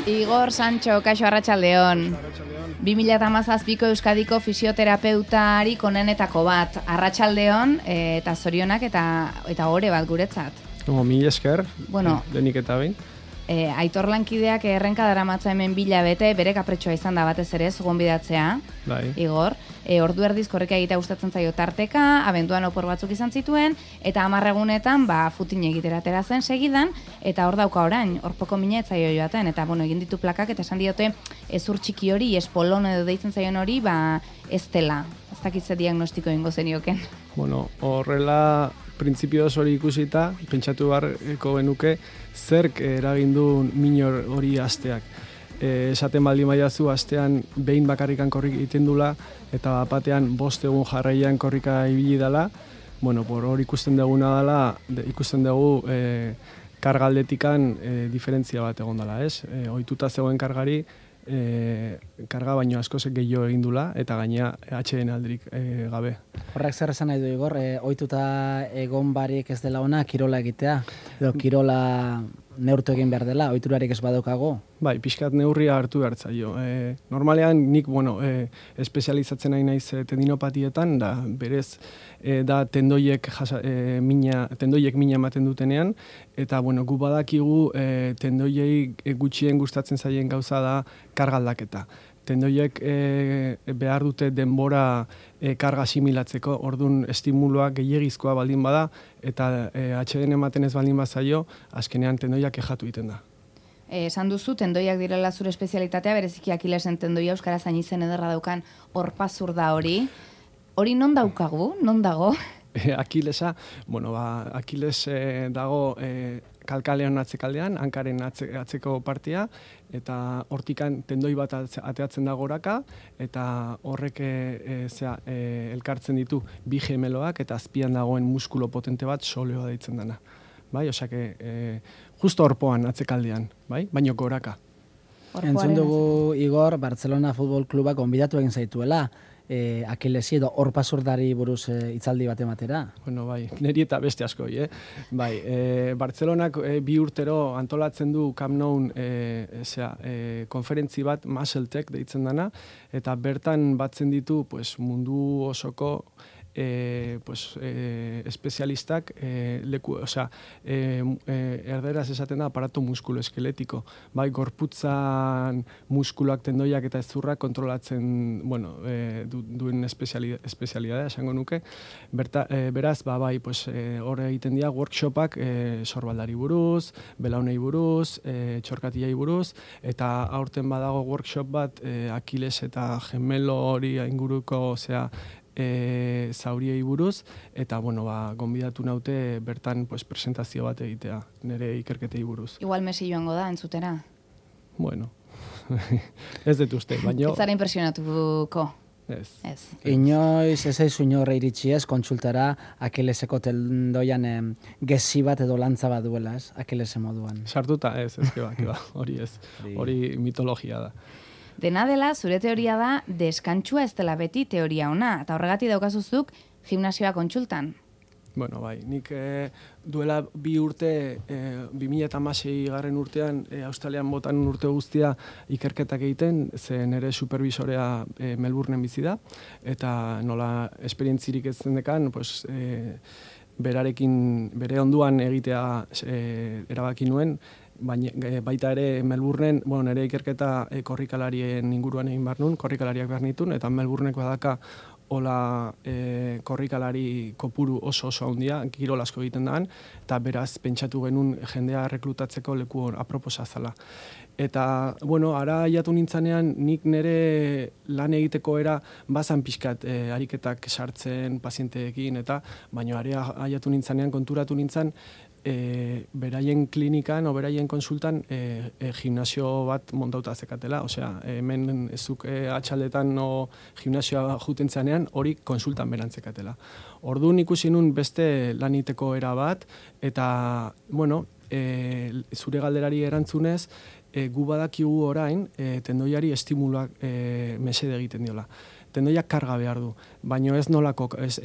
Igor Sancho, kaixo arratsaldeon. 2017ko Euskadiko fisioterapeutarik onenetako bat. Arratsaldeon eta zorionak eta ore bat guretzat. Mil esker, bueno, denik eta behin. Aitor lankideak errenka daramatza hemen bilabete, bere kapretxoa izan da batez ere, gonbidatzea, bai. Igor. Ordu erdiz korrika egitea gustatzen zaio tarteka, abenduan opor batzuk izan zituen, eta 10 egunetan futin egiteratera zen segidan, eta hor dauka orain, horpoko mina ez zaio joaten, eta egin ditu plakak, eta esan diote ezur txiki hori, espolon edo deitzen zaion hori, ez dela. Ez dakitze diagnostiko ingo zenioken. Bueno, horrela printzipioz hori ikusita, pentsatu beharko genuke, zerk eragindu minor hori asteak. Esaten baldin baiazu astean behin bakarrikan korrik egiten dula, eta batean 5 egun jarraian korrika ibili dela. Bueno, hor ikusten duguna dela, ikusten dugu kargaldetikan diferentzia bat egon dela, ez? Ohituta zegoen kargari, karga baino askoz gehiago egin dula, eta gaina atxeden aldirik gabe. Horrek zer esan nahi du, Igor, ohituta egon barik ez dela ona kirola egitea, edo kirola neurtu egin behar dela, ohiturarik ez badaukago? Bai, pixkat neurria hartu behar zaio. Normalean nik, espezializatzen nahi naiz tendinopatietan, da berez da tendoiek mina ematen dutenean, eta gu badakigu tendoiei gutxien gustatzen zaien gauza da karga aldaketa. Tendoiek behar dute denbora karga asimilatzeko, orduan estimuluak gehiagizkoa baldin bada, eta atxeden ematen ez baldin bazaio, azkenean tendoiak kexatu egiten da. Esan duzu, tendoiak direla zure espezialitatea, bereziki Akilesen tendoia, euskara zain izen ederra daukan horpazur da hori. Hori non daukagu? Non dago? Akilesa, Akiles dago kalkalean atzekaldean, hankaren atzeko partia, eta hortikan tendoi bat ateatzen da goraka, eta horrek elkartzen ditu bi gemeloak, eta azpian dagoen muskulo potente bat soleoa deitzen dena. Bai, osake, justo horpoan atzekaldean, bai, baino goraka. Entzun dugu, Igor, Barcelona Futbol Klubak gonbidatu egin zaituela, Akilesi edo horpazurdari buruz hitzaldi bat ematera. Bueno, bai, niri eta beste asko, Bai, Bartzelonak 2 urtero antolatzen du Camp Nou konferentzi bat, Muscle-Tech deitzen dana, eta bertan batzen ditu mundu osoko espezialistak erderaz esaten da aparato muskuloeskeletiko. Bai, gorputzan muskuluak, tendoiak eta ezurrak kontrolatzen, duen espezialidadea esango nuke. Beraz, hor egiten dira workshopak sorbaldari buruz, belaunei buruz, txorkatilei buruz, eta aurten badago workshop bat Akiles eta gemelo hori inguruko, zauriei buruz, eta, gonbidatu naute bertan presentazio bat egitea, nire ikerketei buruz. Igual Messi joango da, entzutera? Bueno, ez dut uste, baina... Ez zara impresionatuko? Ez. Inoiz ez aizu inorre iritsi ez, kontsultara Akileseko tendoian gezi bat edo lantza bat duela, ez? Akilese moduan. Sartuta, ez, hori ez, hori mitologia da. Dena dela, zure teoria da, deskantsua ez dela beti teoria ona, eta horregatik daukazuzuk gimnasioa kontsultan. Bueno, bai, nik duela 2 urte, 2016 urtean, Australian botan urte guztia ikerketak egiten, ze nire supervisorea Melbourneen bizi da, eta nola esperientzirik ez zendekan, bere onduan egitea erabaki nuen, baita ere Melbourneen, nire ikerketa korrikalarien inguruan egin behar nuen, korrikalariak behar nituen, eta Melbourneko badaka hola korrikalari kopuru oso handia, kirol asko egiten daan, eta beraz pentsatu genuen jendea reklutatzeko leku aproposa zala. Eta, ara aiatu nintzanean, nik nire lan egiteko bazan pixkat ariketak sartzen pazienteekin, baina aiatu nintzanean konturatu nintzen, beraien klinikan o beraien konsultan gimnasio bat montauta zekatela, hemen ezuk atxaldetan o gimnasioa juten zanean, hori konsultan berantzekatela. Orduan ikusi nun beste laniteko era bat, eta, zure galderari erantzunez, gu badakigu orain, tendoiari estimuluak mesede egiten diola. tendoiak karga behar du, baina ez nolako, ez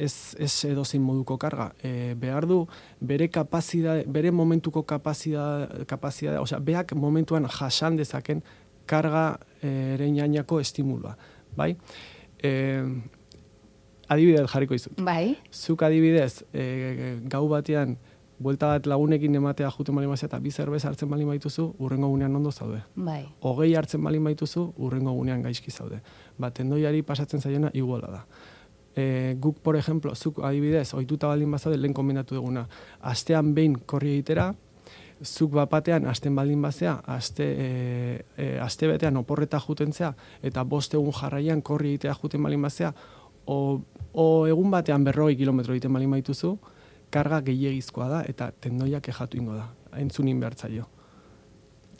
edozein moduko karga. Behar du bere kapazidade, bere momentuko kapazidade, osea, beak momentuan jasan dezaken karga ereinainako estimulua, bai? Adibidez jarriko izut. Bai. Zuk adibidez, gau batean, buelta bat lagunekin ematea juten balin bazea eta 2 zerbeza hartzen balin baituzu, urrengo gunean ondo zaude. Bai. 20 hartzen balin baituzu, urrengo gunean gaizki zaude. Tendoiari pasatzen zaiona iguala da. Guk, por ejemplo, zuk adibidez, ohituta balin bazaude, lehen komentatu duguna, astean behin korri egitera, zuk bapatean asten baldin bazea, aste betean oporreta jutentzea, eta 5 egun jarraian korri egitea juten balin bazea, o egun batean 40 kilometro egiten balin baituzu, karga gehiegizkoa da eta tendoia kexatu ingo da. Entzunin behartzaio.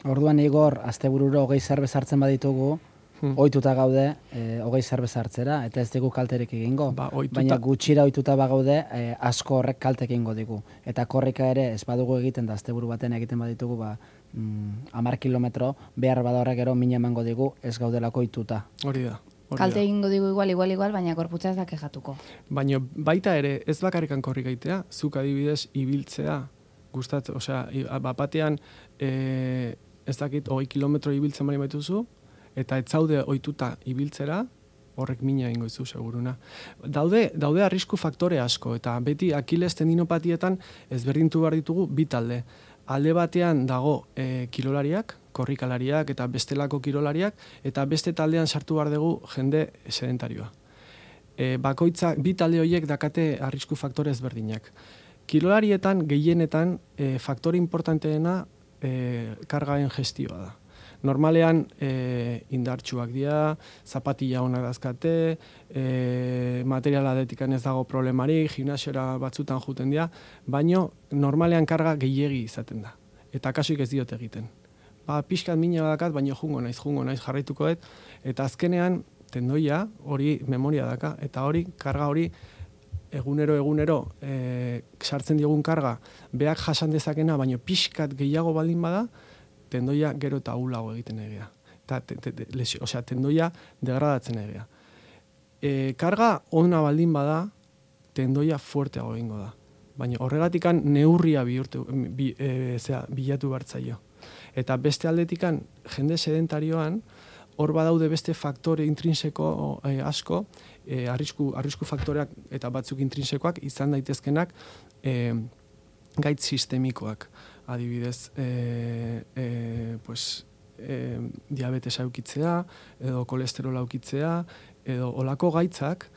Orduan Igor, astebururo 20 zerbez hartzen baditugu, ohituta gaude 20 zerbez hartzera, eta ez digu kalterik egingo. Baina gutxira ohituta bagaude, asko horrek kaltek egingo digu. Eta korrika ere ez badugu egiten da asteburu baten egiten baditugu, 10 kilometro, behar bada horrek gero min emango digu, ez gaudelako ohituta. Hori da. Kalte egingo digu igual, baina korputza ez da kexatuko. Baina baita ere, ez bakarrikan korrik egitea, zuk adibidez ibiltzea, gustatzen, osea, bapatean, ez dakit, 20 kilometro ibiltzen bali baituzu, eta ez zaude ohituta ibiltzera, horrek mina egingo izu, seguruna. Daude arrisku faktore asko, eta beti Akiles tendinopatietan ezberdintu behar ditugu bi talde. Alde batean dago kirolariak, korrikalariak eta bestelako kirolariak, eta beste taldean sartu behar dugu jende sedentarioa. Bakoitzak, bi talde horiek dakate arrisku faktore ezberdinak. Kirolarietan, gehienetan, faktore importanteena kargaen gestioa da. Normalean indartsuak dira, zapatilla onak dazkate, materiala atetikan ez dago problemarik, gimnasiora batzutan juten dira, baino normalean karga gehiegi izaten da. Eta kasuik ez diote egiten. Pixkat mina badakat, baino jungo naiz jarraituko dut, eta azkenean tendoia hori memoria daka, eta hori, karga hori, egunero sartzen diogun karga, beak jasan dezakena, baino pixkat gehiago baldin bada, tendoia gero eta ahulago egiten egia. Osea, tendoia degradatzen egia. Karga ona baldin bada, tendoia fuerteago egingo da. Baina horregatikan neurria bilatu bertzaio. Eta beste aldetikan, jende sedentarioan, hor badaude beste faktore intrinseko asko, arrisku faktoreak eta batzuk intrinsekoak izan daitezkenak gaitz sistemikoak. Adibidez, diabetesa eukitzea, edo kolesterola eukitzea, edo olako gaitzak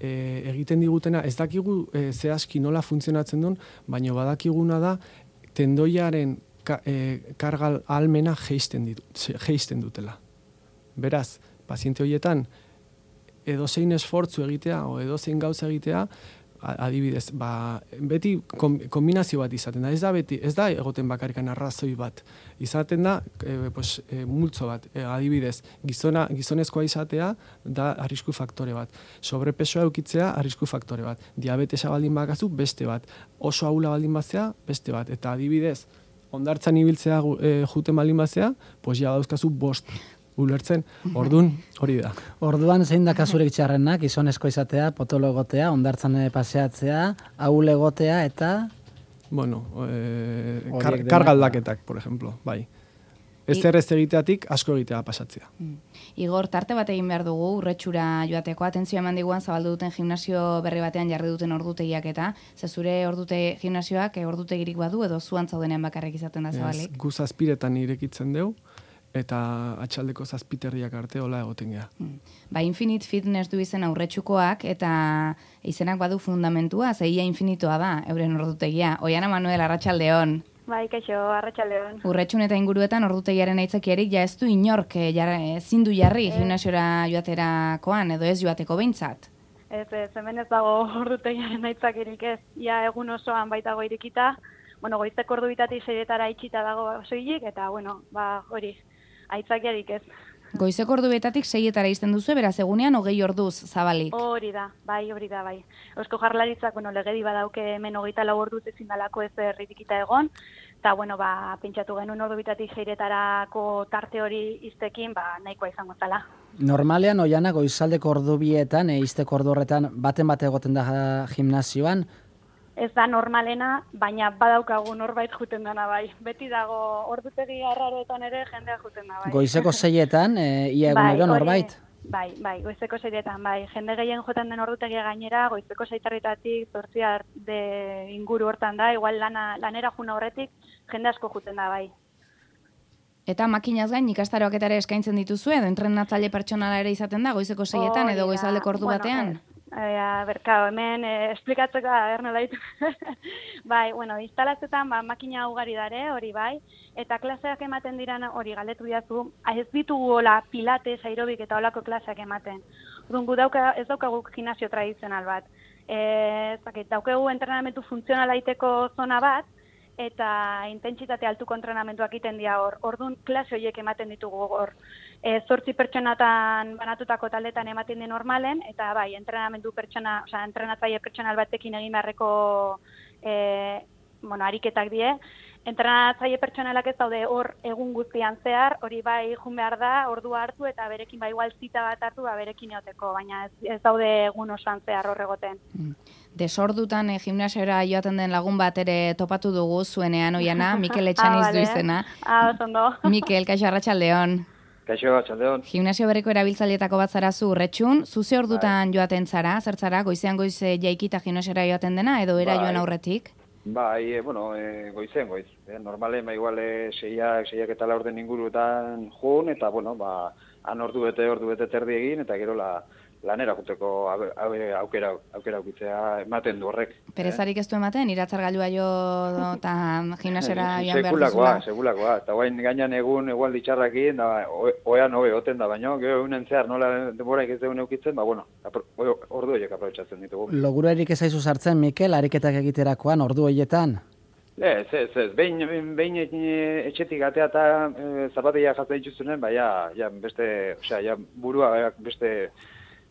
egiten digutena, ez dakigu zehazki nola funtzionatzen duen, baina badakiguna da tendoiaren karga ahalmena jeisten dutela. Beraz, paziente horietan, edozein esfortzu egitea, o edozein gauza egitea, adibidez, beti kombinazio bat izaten da. Ez da egoten bakarrikan arrazoi bat. Izaten da, multzo bat. Adibidez, gizonezkoa izatea da arrisku faktore bat. Sobrepesoa eukitzea arrisku faktore bat. Diabetesa baldin bakazu, beste bat. Oso ahula baldin bazea, beste bat. Eta adibidez, hondartzan ibiltzea juten baldin bazea, ja dauzkazu 5. Ulertzen, ordun hori da. Orduan zein da kasurik txarrenak, gizonezko izatea, potolo egotea, hondartzan paseatzea, ahul egotea eta... Bueno, karga aldaketak, por ejemplo, bai. Ez egiteatik asko egitea pasatzea. Igor, tarte bat egin behar dugu, urretxura joateko, atentzioa eman diguan zabaldu duten gimnasio berri batean jarri duten ordutegiak eta, ze zure ordute gimnasioak ordutegirik badu edo zuan zaudenean bakarrik izaten da zabalik? Gu 7 irekitzen deu, eta atxaldeko 7 arte hola egoten geha. Infinite Fitness du izen aurretxukoak, eta izenak badu fundamentua, zeia infinitoa da, euren ordutegia. Oiana Manuel, arratsaldeon. Bai, kaixo, arratsaldeon. Urretxun eta inguruetan ordutegiaren aitzakiarik ja ez du inork ezin du jarri gimnasiora joaterakoan, edo ez joateko behintzat. Ez, hemen ez dago ordutegiaren aitzakirik ez. Ia egun osoan baitago irekita, goizteko ordu bitatik 6 itxita dago soilik, eta hori, aitzakiarik ez. Goizeko ordu betatik 6 izten duzu, beraz egunean 20 orduz zabalik. Hori da, bai. Eusko Jaurlaritzak, legedi badauke hemen 24 orduz ezin dalako ez erritikita egon, Eta, bueno, pentsatu genuen ordu bitatik seiretarako tarte hori iztekin, nahikoa izango zala. Normalean, Oiana, goizaldeko ordu bietan, izteko ordu horretan, baten bat egoten da gimnasioan? Ez da normalena, baina badaukagu norbait juten dana bai. Beti dago ordutegi arraroetan ere jendea juten da bai. Goizeko 6etan, ia egunero norbait? Bai, goizeko 6etan, bai. Jende gehien joten den ordutegia gainera, goizeko 6:00 8:00 inguru hortan da, igual lanera juna horretik, jende asko juten da bai. Eta makinaz gain ikastaroak eta ere eskaintzen dituzu edo entrenatzaile pertsonala ere izaten da goizeko 6etan edo goizaldeko ordu batean? Berkao, hemen esplikatzeko nola ditu. Bai, instalazioetan makina ugari dare, hori bai, eta klaseak ematen diran hori galdetu diazu, ez ditugu hola pilates, aerobik eta holako klaseak ematen. Orduan, ez daukagu gimnasio tradizional bat. Daukagu entrenamentu funtzionala iteko zona bat, eta intentsitate altuko entrenamentuak egiten dira hor. Orduan, klase horiek ematen ditugu hor. 8 pertsonatan banatutako taldetan ematen den normalen, eta bai, entrenatzaile pertsonal batekin egin beharreko ariketak die. Entrenatzaile pertsonalak ez daude hor egun guztian zehar, hori bai jun behar da, ordua hartu, eta berekin igual zita bat hartu, berekin eoteko, baina ez daude egun osoan zehar hor egoten. Desordutan gimnasiora joaten den lagun bat ere topatu dugu zuenean, Oiana, Mikel Etxaniz du izena. Ondo. Mikel, kaixo, arratsaldeon. Kaixo, arratsaldeon. Gimnasio berriko erabiltzaileetako bat zara zu Urretxun, zuze ordutan joaten zara, zer zara, goizean goiz jaikita gimnasiora joaten dena, edo era joan aurretik? Bai, goizen goiz. Normalen, igual, seiak eta laurden inguruetan jun, eta, han ordu bete terdi egin, eta gero lanera juteko aukera aukitzea ematen du horrek. Perezarik ez du ematen, iratzargailua jo eta gimnasiora joan behar duzula? Segulakoa. Eta guain gainan egun egual ditxarrakin, oean hobe oten da, baino, gero egunen zehar nola denboraik ez degun eukitzen, ordu horiek aprobetxatzen ditugu. Logura erik ez aizu sartzen, Mikel, ariketak egiterakoan, ordu horietan? Ez. Behin etxetik atea eta zapatia jatzen dituzunen, burua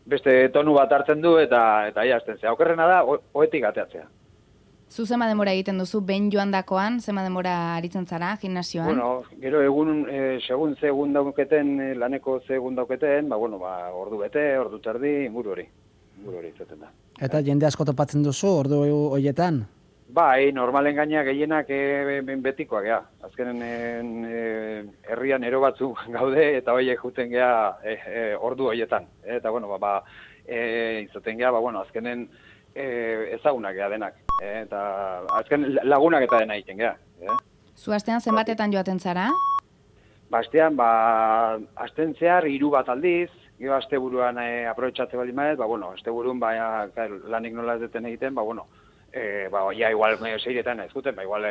beste tonu bat hartzen du eta hasten zea. Okerrena da, oetik ateatzea. Zu zema denbora egiten duzu, behin joan dakoan, zema denbora aritzen zara, gimnasioan? Gero egun, segun ze egun dauketen, laneko ze egun dauketen, ordu bete, ordu terdi, inguru hori izaten da. Eta jende asko topatzen duzu, ordu horietan? Bai, normalen gaina gehienak betikoak, gea. Azkenen herrian ero batzuk gaude, eta horiek juten gea ordu horietan. Eta, izaten gea, azkenen ezagunak gea denak. Eta azken lagunak eta dena egiten gea. Zu astean zenbatetan joaten zara? Astean, asten zehar 3 bat aldiz, gero aste buruan aprobetxatze bali maez, aste burun lanik nola ez deten egiten, igual 6etan ez guten, igual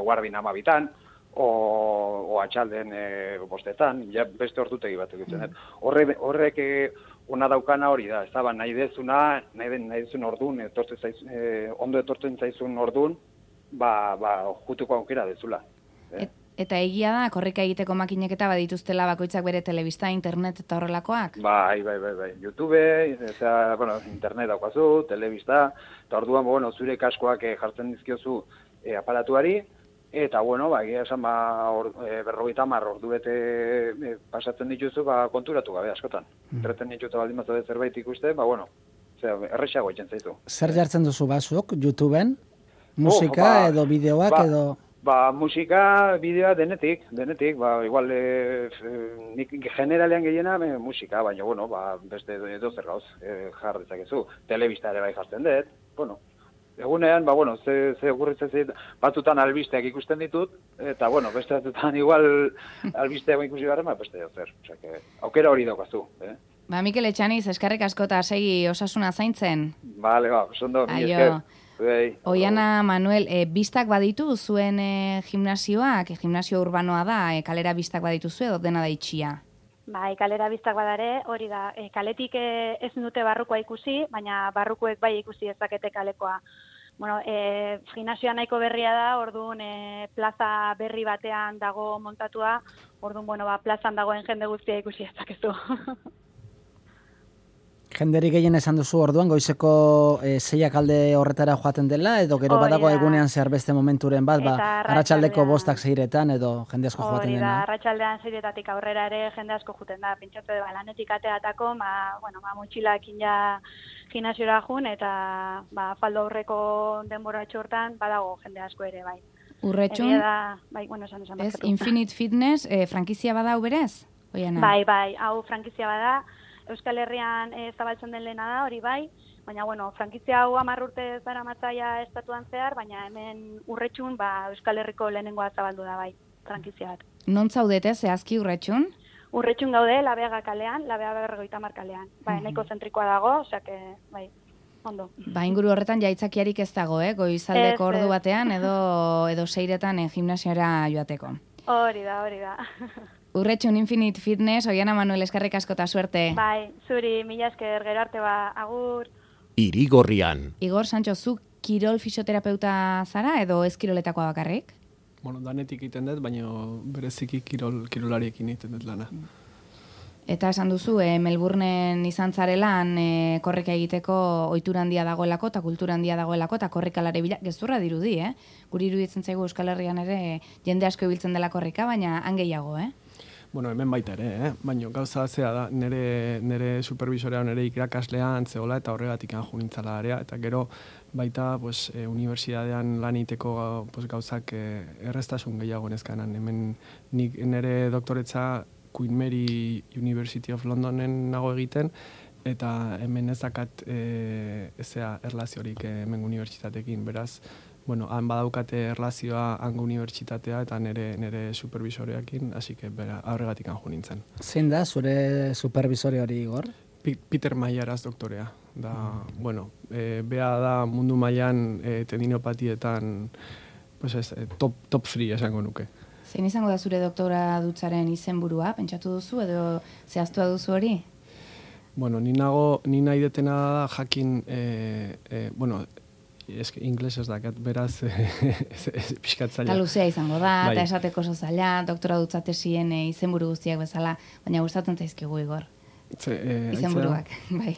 guardin 12 o atxalden 5etan, beste ordutegi bat egiten. Horrek ona daukana hori da, ez da, nahi dezun ordun, ondo etortzen zaizun ordun, jutuko aukera dezula. Eta egia da, korrika egiteko makinek eta badituztela bakoitzak bere telebista, internet eta horrelakoak? Bai. YouTube, internet daukazu, telebista, eta orduan, zure kaskoak jartzen dizkiozu aparatuari, eta, egia esan, 50 ordu bete pasatzen dituzu, konturatu gabe askotan. Erreten dituzu baldin bat zerbait ikuste, errexago egiten zaitu. Zer jartzen duzu bazuk, YouTubeen? Musika edo bideoak edo... Musika, bideoa denetik, igual nik generalean gehiena musika, baina, beste edozer gauz jar dezakezu. Telebista ere bai jartzen dut, egunean, ze gurritzen zait, batzutan albisteak ikusten ditut, eta, beste batzutan igual albisteak ikusi garen, beste edozer. Aukera hori daukazu. Mikel Etxaniz, eskerrik asko eta segi osasuna zaintzen. Bale, sondo, mi esker. Oiana Manuel, bistak baditu zuen gimnasioak, gimnasio urbanoa da, kalera bistak baditu zuen, edo dena da itxia? Bai, kalera bistak badare, hori da, kaletik ez dute barrukoa ikusi, baina barrukoek bai ikusi ezakete kalekoa. Gimnasioa nahiko berria da, orduan plaza berri batean dago montatua, orduan, plazan dagoen jende guztia ikusi ezakezu. Jenderik gehien esan duzu orduan, goizeko 6 alde horretara joaten dela, edo gero badago egunean zehar beste momenturen bat, arratsaldeko 5 6etan edo jende asko joaten dena. Arratsaldean 6etatik aurrera ere jende asko joaten da, pentsatu lanetik ateatako, motxilakin ja gimnasiora jun, eta faldo aurreko denbora hortan badago jende asko ere, bai. Urretxun, ez, Infinite Fitness, frankizia bada berez? Bai, hau frankizia bada, Euskal Herrian zabaltzen den lehena da, hori bai, baina, frankizia hau 10 urte zara matzaia estatuan zehar, baina hemen Urretxun, Euskal Herriko lehenengoa zabaldu da, bai, frankizia bat. Non zaudete, zehazki Urretxun? Urretxun gaude, Labeaga kalean, Labeaga 50 kalean. Nahiko zentrikoa dago, osake, bai, ondo. Inguru horretan jaitzakiarik ez dago, goizaldeko ordu batean, edo 6etan gimnasiora joateko. Hori da. Urretxun Infinite Fitness, Oiana Manuel, eskerrik asko eta suerte. Bai, zuri, mila esker, gero arte agur. Irigorrian. Igor Sancho, zu kirol fisioterapeuta zara edo ez kiroletakoa bakarrik? Danetik egiten dut, baina bereziki kirolariekin egiten dut lana. Eta esan duzu, Melbourneen izan zarelan korrika egiteko ohitura handia dagoelako eta kultura handia dagoelako eta korrikalari bila, gezurra dirudi, Guri iruditzen zaigu Euskal Herrian ere jende asko ibiltzen dela korrika, baina han gehiago, Hemen baita ere, baina gauza zea da, nire supervisorea, nire irakaslea antzegola eta horregatik anju nintzala area, eta gero baita unibertsitatean lan egiteko gauzak erreztasun gehiago nezkanan. Hemen nire doktoretza Queen Mary University of Londonen nago egiten, eta hemen ezakat erlaziorik hemen unibertsitatekin, beraz, han badaukate erlazioa hango unibertsitatea eta nire supervisoreakin, hasi que horregatik anju nintzen. Zein da zure supervisore hori, Igor? Peter Mayaraz doktorea. Bea da mundu mailan tendinopatietan top 3 esango nuke. Zein izango da zure doktora dutzaren izenburua, pentsatu duzu edo zehaztua duzu hori? Ni nahi detena da jakin, ingles ez dakat, beraz pixkatzaila. Eta luzea izango da, eta esateko oso zaila, doktora dutzatesien izenburu guztiak bezala, baina gustatzen zaizkigu, Igor. Izenburuak, bai.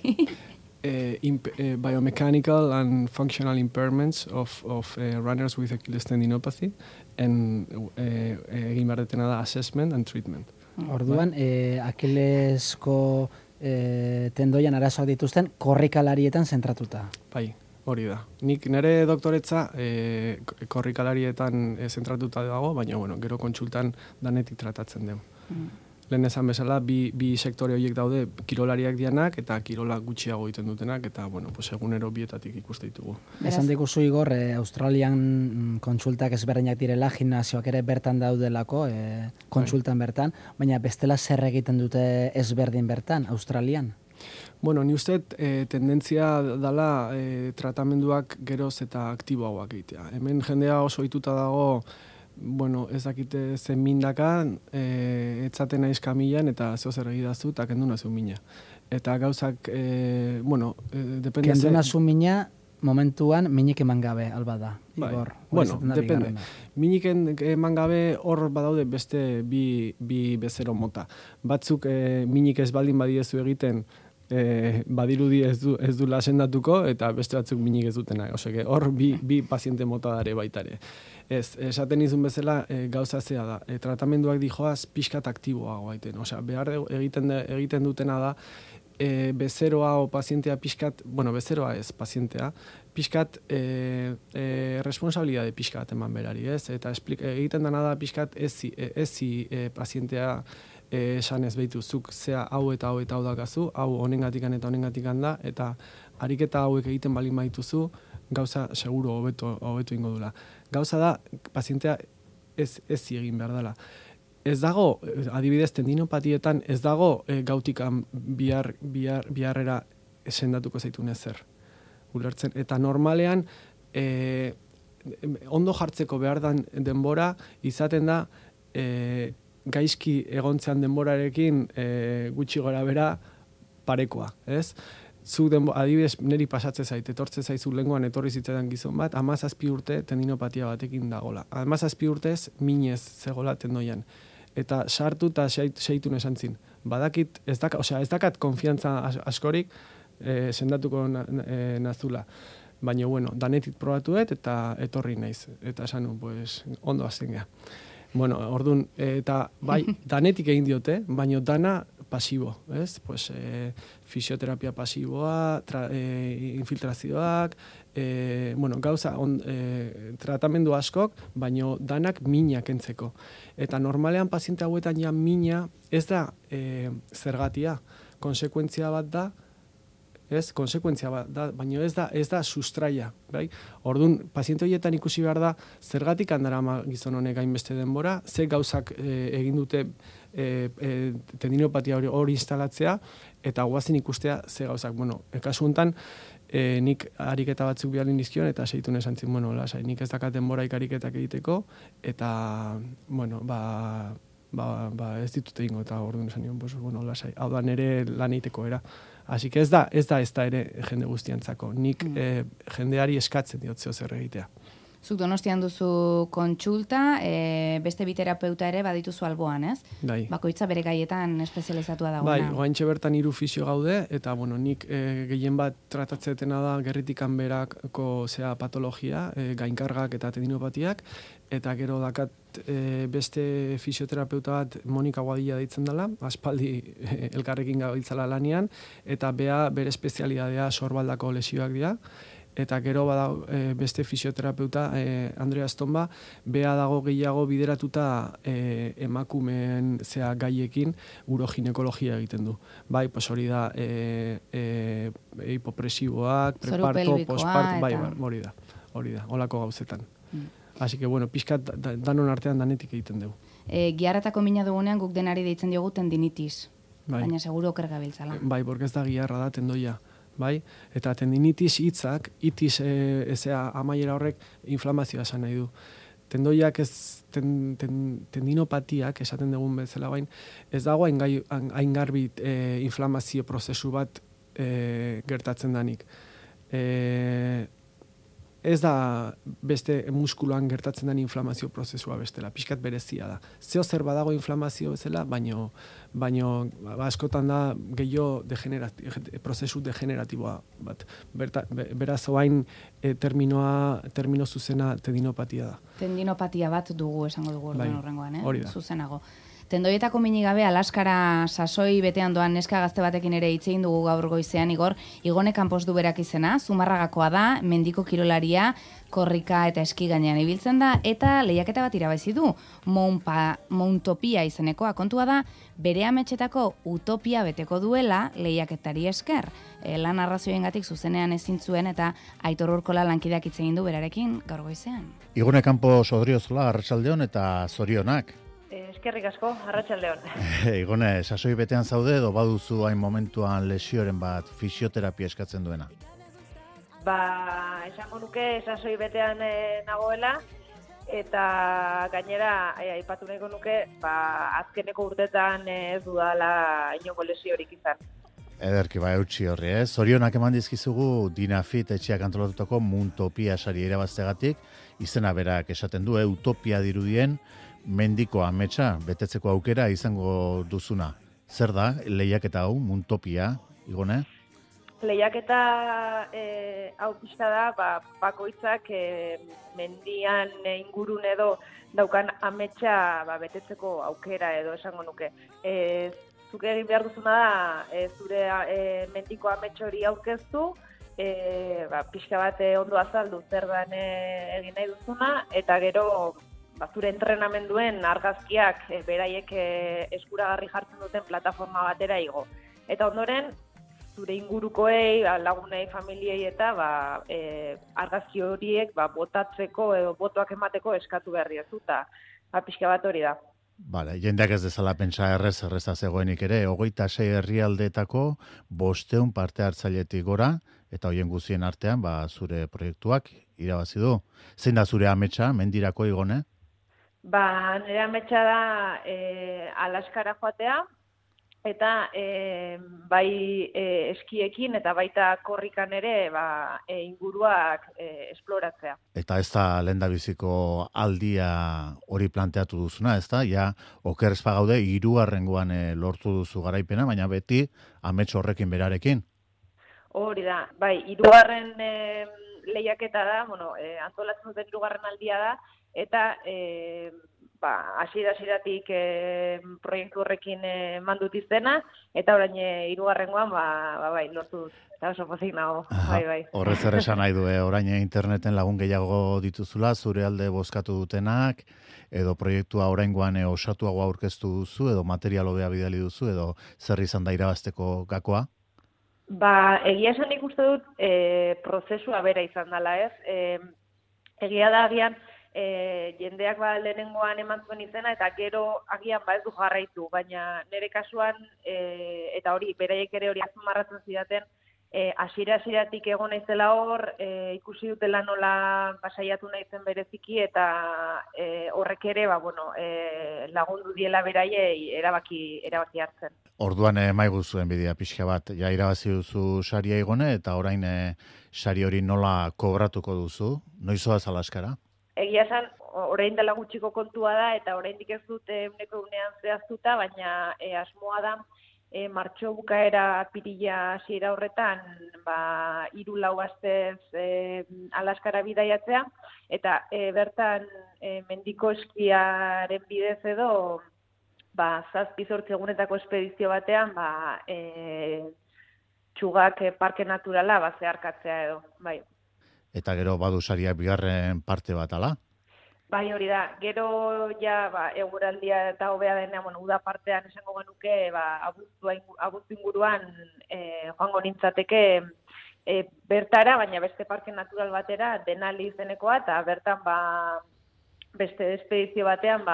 Biomechanical and functional impairments of runners with Achilles tendinopathy, egin behar detena da assessment and treatment. Orduan, Achillesko tendoian arazoak dituzten korrikalarietan zentratuta. Bai. Hori da. Nik nire doktoretza korrikalarietan zentratuta dago, baina gero kontsultan danetik tratatzen dugu. Lehen esan bezala, bi sektore horiek daude kirolariak dianak eta kirola gutxiago egiten dutenak, eta egunero bietatik ikuste ditugu. Esan diguzu, Igor, Australian kontsultak ezberdinak direla, gimnasioak ere bertan daudelako, kontsultan bertan, baina bestela zer egiten dute ezberdin bertan, Australian? Ni uste tendentzia dela tratamenduak geroz eta aktiboagoak egitea. Hemen jendea oso ohituta dago, ez dakite zen mindaka, etzaten naiz kamilan eta zeozer egidazu eta kendu nazu mina. Eta gauzak, depende... Kendu nazu mina, momentuan minik eman gabe, alba da, Igor. Depende. Minik eman gabe hor badaude beste bi bezero mota. Batzuk minik ez baldin badiezu egiten, badirudi ez du lasendatuko eta beste batzuk minik ez dutena. Oseke, hor bi paziente mota dare baitare. Esaten izun bezala gauza zea da. Tratamenduak dijoaz pixkat aktiboago gaiten. Osea, behar egiten dutena da bezeroa o pazientea pixkat, bezeroa ez, pazientea, pixkat responsabilidade pixkat eman berari, ez? Eta egiten dena da pixkat ezi pazientea esan ez behitu, zuk zea hau eta hau eta hau dakazu, hau honengatikan eta honengatikan da, eta ariketa hauek egiten balin baituzu, gauza seguro hobetu ingo dula. Gauza da, pazientea ez egin behar dela. Ez dago, adibidez, tendinopatietan, ez dago gautikan biharrera sendatuko zaitun ezer. Ulertzen. Eta normalean, ondo jartzeko behar den denbora, izaten da, gaizki egontzean denborarekin gutxi gora bera parekoa, ez? Adibidez, niri pasatze zait, etortze zaizu lenguan etorri zitzaidan gizon bat, 17 urte tendinopatia batekin dagola. 17 urtez minez zegola tendoian. Eta sartu eta seitun esan zin. Badakit, ez dakat konfiantza askorik, sendatuko nazula. Baina, bueno, danetik probatuet eta etorri naiz. Eta esan, pues, ondo azten geha. Bueno, orduan, eta bai, danetik egin diote, baina dana pasibo, ez? Pues, fisioterapia pasiboa, infiltrazioak, bueno, gauza, tratamendu askok, baina danak minak entzeko. Eta normalean paziente hauetan ja mina ez da zergatia, konsekuentzia bat da, konsekuentzia bat da, baina ez da sustraia, bai? Orduan, paziente horietan ikusi behar da, zergatik handarama gizon honek hainbeste denbora, ze gauzak egin dute tendinopatia hori instalatzea, eta guazen ikustea ze gauzak. Bueno, kasu honetan, nik ariketa batzuk bialin dizkion, eta seitu nesan zin, bueno, lasai, nik ez dakat denbora ariketak egiteko, eta, bueno, ez ditut egingo, eta orduan esan nion, pues, bueno, lasai, hau da nere lan egiteko era. Así que ez da ere jende guztiantzako. Nik jendeari eskatzen diot zeo zer egitea. Zuk Donostian duzu kontsulta, beste bi terapeuta ere badituzu alboan, ez? Bai. Bakoitza bere gaietan espezializatua dagoena. Bai, oaintxe bertan 3 fisio gaude, eta bueno, nik gehien bat tratatzetena da gerritikan berako patologia, gainkargak eta tendinopatiak, eta gero dakat beste fisioterapeuta bat Monika Guadilla deitzen dela, aspaldi elkarrekin gabiltzala lanian, eta bere espezialidadea sorbaldako lesioak dira, eta gero badago beste fisioterapeuta Andrea Estomba, bea dago gehiago bideratuta emakumeen gaiekin uroginekologia egiten du. Bai, pues hori da hipopresiboak, preparto, postparto, bai, hori da, holako gauzetan. Así que, bueno, pixkat danon artean danetik egiten dugu. Giarratako mina dugunean guk denari deitzen diogu tendinitis, baina seguro oker gabiltzala. Bai, porque ez da giarra da tendoia. Bai? Eta tendinitis hitzak, itis amaiera horrek inflamazioa esan nahi du. Tendoiak tendinopatiak, esaten dugun bezala bain, ez dago hain garbi inflamazio prozesu bat gertatzen danik. Ez da beste muskuluan gertatzen den inflamazio prozesua bestela, pixkat berezia da. Zeo zer badago inflamazio bezala, baino askotan da gehiago prozesu degeneratiboa bat. Beraz, oain termino zuzena tendinopatia da. Tendinopatia bat dugu esango dugu horrengoan, hori da. Zuzenago. Tendoietako minik gabe Alaskara sasoi betean doan neska gazte batekin ere hitz egin dugu gaur goizean, Igone Campos du berak izena, Zumarragakoa da, mendiko kirolaria, korrika eta eski gainean ibiltzen da, eta lehiaketa bat irabazi du, Mountopia izenekoa. Kontua da, bere ametxetako utopia beteko duela lehiaketari esker. Lan arrazioengatik zuzenean ezin zuen eta Aitor Urkola lankideak hitz egin du berarekin gaur goizean. Igone Campos Odriozola, arratsaldeon eta zorionak. Eskerrik asko, arratsaldeon. Igone, sasoi betean zaude edo baduzu hain momentuan lesioren bat fisioterapia eskatzen duena? Esango nuke sasoi betean nagoela, eta gainera aipatu nahiko nuke, azkeneko urtetan ez dudala inongo lesiorik izan. Ederki, eutxi horri, Zorionak eman dizkizugu Dinafit etxeak antolatutako Mountopia sari irabaztegatik, izena berak esaten du, utopia dirudien, mendiko ametsa betetzeko aukera izango duzuna. Zer da, lehiaketa hau, Mountopia, Igone? Lehiaketa hau pixka da, bakoitzak mendian ingurun edo daukan ametsa betetzeko aukera edo esango nuke. Zuk egin behar duzuna da, zure mendiko amets hori aurkeztu, pixka bat ondo azaldu zer dan egin nahi duzuna, eta gero zure entrenamenduen argazkiak beraiek eskuragarri jartzen duten plataforma batera igo. Eta ondoren, zure ingurukoei, lagunei, familiei eta argazki horiek botatzeko edo botoak emateko eskatu berri ez duta. Pixka bat hori da. Bale, jendeak ez dezala pentsa erreza zegoenik ere, 26 herrialdeetako 500 parte hartzailetik gora, eta hoien guztien artean zure proiektuak irabazi du. Zein da zure ametsa, mendirako, Igone? Nire ametsa da Alaskara joatea, eta bai eskiekin eta baita korrikan ere inguruak esploratzea. Eta ez da lehendabiziko aldia hori planteatu duzuna, ez da? Ja, oker ez pagaude, 3. lortu duzu garaipena, baina beti amets horrekin berarekin. Hori da, bai, 3. lehiaketa da, bueno, antolatzen duten 3. aldia da, eta hasieratik proiektu horrekin mandut izena, eta orain 3. bai, lortu dut. Eta oso pozik nago, bai. Horrez ere esan nahi du, orain interneten lagun gehiago dituzula, zure alde bozkatu dutenak, edo proiektua oraingoan osatuago aurkeztu duzu, edo material hobea bidali duzu, edo zer izan da irabazteko gakoa? Egia esan ikuste dut prozesua bera izan dela, ez? Egia da agian, jendeak lehenengoan eman zuen izena, eta gero agian ez du jarraitu, baina nire kasuan, eta hori, beraiek ere hori azpimarratzen zidaten, hasieratik egon naizela hor, ikusi dutela nola saiatu naizen bereziki, eta horrek ere, lagundu diela beraiei erabaki hartzen. Orduan maigu zuen bidea pixka bat, ja irabazi duzu saria igone, eta orain sari hori nola kobratuko duzu? Noizoaz Alaskara? Egia esan, orain dela gutxiko kontua da, eta oraindik ez dut eguneko unean zehaztuta, baina asmoa da, martxo bukaera apirila hasiera horretan, 3-4 astez Alaskara bidaiatzea, eta bertan mendiko eskiaren bidez edo, 7-8 egunetako espedizio batean, txugak parke naturala zeharkatzea edo, bai. Eta gero badu sariak bigarren parte bat, ala? Bai, hori da. Gero ja eguraldia eta hobea denean, uda partean esango genuke, abuztu inguruan joango nintzateke bertara, baina beste parke natural batera, Denali izenekoa, eta bertan beste espedizio batean,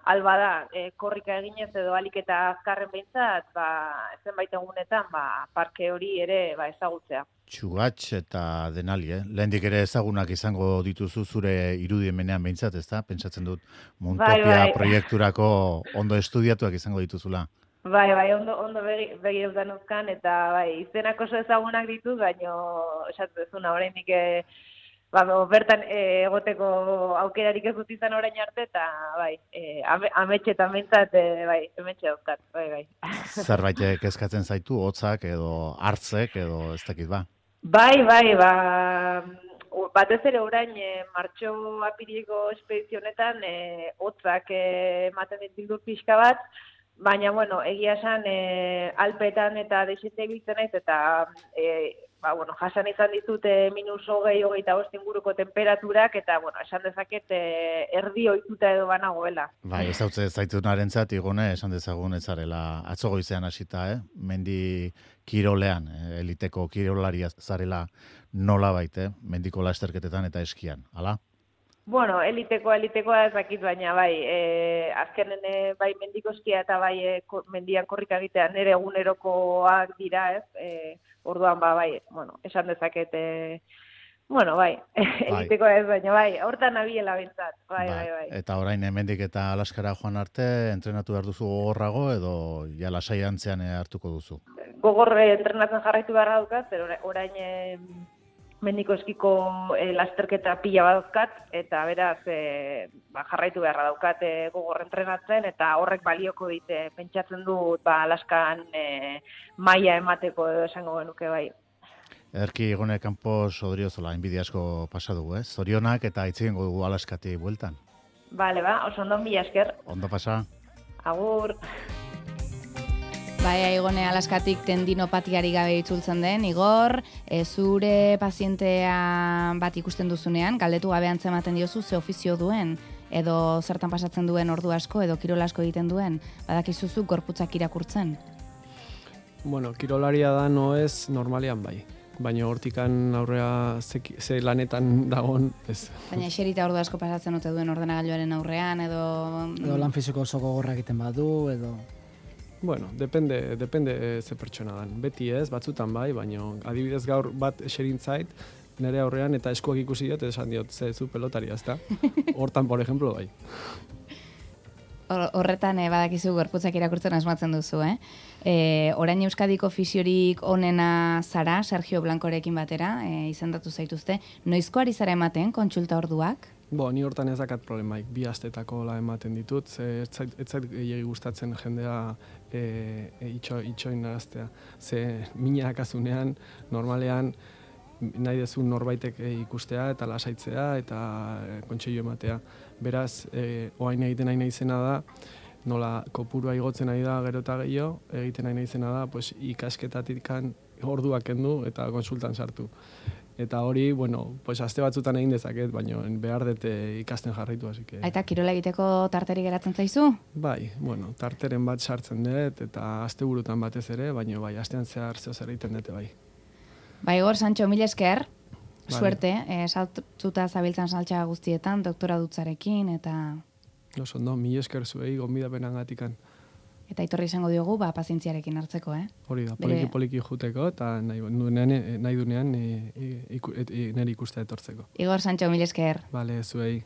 alba da, korrika eginez edo alik eta azkarren behintzat, zenbait egunetan, parke hori ere ezagutzea. Txugatx eta Denali, lehendik ere ezagunak izango dituzu zure irudiemenean behintzat, ezta? Pentsatzen dut Muntopia proiekturako ondo estudiatuak izango dituzula. Bai, ondo begireutan uzkan, eta izenak oso ezagunak dituz, baina esatzen dezuna oraindik bertan egoteko aukerarik ez dut izan orain arte, eta ametxetan behintzat, emetxe dauzkat, bai. Zerbait kezkatzen zaitu, hotzak edo hartzek edo ez dakit ba? Bai, batez ere orain martxo apirileko espedizionetan hotzak ematen ditu pixka bat, baina, egia esan Alpetan eta desente ibiltzen naiz, eta jasan izan ditute -20-25 inguruko temperaturak, eta, esan dezaket erdi ohituta edo banagoela. Bai, ez hautze zaitunarentzat, Igone, esan dezagun ez zarela atzo goizean hasita, mendi kirolean, eliteko kirolaria zarela nolabait, mendiko lasterketetan eta eskian, ala? Elitekoa ez dakit, baina azkenen mendiko eskia eta mendian korrika egitea nire egunerokoak dira, ez? Orduan, esan dezaket, elitekoa ez, baina hortan nabiela bintzat, bai. Eta orain hemendik eta Alaskara joan arte, entrenatu behar duzu gogorrago edo ja lasai antzean hartuko duzu? Gogorre entrenatzen jarraitu beharra dukat, orain mendiko eskiko lasterketa pila badozkat, eta beraz jarraitu beharra daukat gogor entrenatzen, eta horrek balioko dite, pentsatzen dut Alaskan maila emateko edo esango genuke bai. Erki Igone Campos Odriozola, inbidi asko pasadu, zorionak eta itzigengo dugu Alaskati bueltan. Bale, oso ondo, mila esker. Ondo pasa. Agur. Igone Alaskatik tendinopatiari gabe itzultzen den, Igor, zure pazientea bat ikusten duzunean, galdetu gabe antzematen diozu ze ofizio duen, edo zertan pasatzen duen ordu asko, edo kirol asko egiten duen, badakizuzu gorputzak irakurtzen? Kirolaria da noez normalian bai. Baina hortikan aurrea ze lanetan dagon, ez. Baina eserita ordu asko pasatzen ote duen ordenagailuaren aurrean, edo lan fisiko oso gogorra egiten badu, edo... Depende ze pertsona dan. Beti ez, batzutan bai, baina adibidez gaur bat eserintzait, nire aurrean eta eskuak ikusi diot, esan diot, zu pelotaria, ezta? Hortan, por ejemplo, bai. Horretan badakizu gorputzak irakurtzen asmatzen duzu, Orain Euskadiko fisiorik onena zara, Sergio Blancorekin batera, izendatu zaituzte. Noizko ari zara ematen kontsulta orduak? Ni hortan ez dakat problemaik, 2 astetako la ematen ditut, ze ez zait gehiagi gustatzen jendea itxoin naraztea. Ze minak azunean, normalean, nahi dezun norbaitek ikustea eta lasaitzea eta kontseilu ematea. Beraz, oain egiten nahi izena da, nola kopurua igotzen nahi da gero eta gehiago, egiten nahi izena da, pues, ikasketatik orduak kendu eta konsultan sartu. Eta hori, pues aste batzutan egin dezaket, baina behar dute ikasten jarraitu, así que... Eta kirola egiteko tarteri geratzen zaizu? Bai, tarteren bat sartzen dut, eta asteburutan batez ere, baina bai, astean zehar zer egiten dute bai. Bai, Igor, Sancho, mil esker, suerte, saltzuta zabiltzan saltxa guztietan, doktora dutzarekin, eta... Ondo, mil esker zuei, gonbidapenan gatikan. Eta itorri izango diogu, pazientziarekin hartzeko, Hori da, poliki juteko, eta nahi dunean nire ikustea etortzeko. Igor, Sancho, mil esker. Bale, zuei.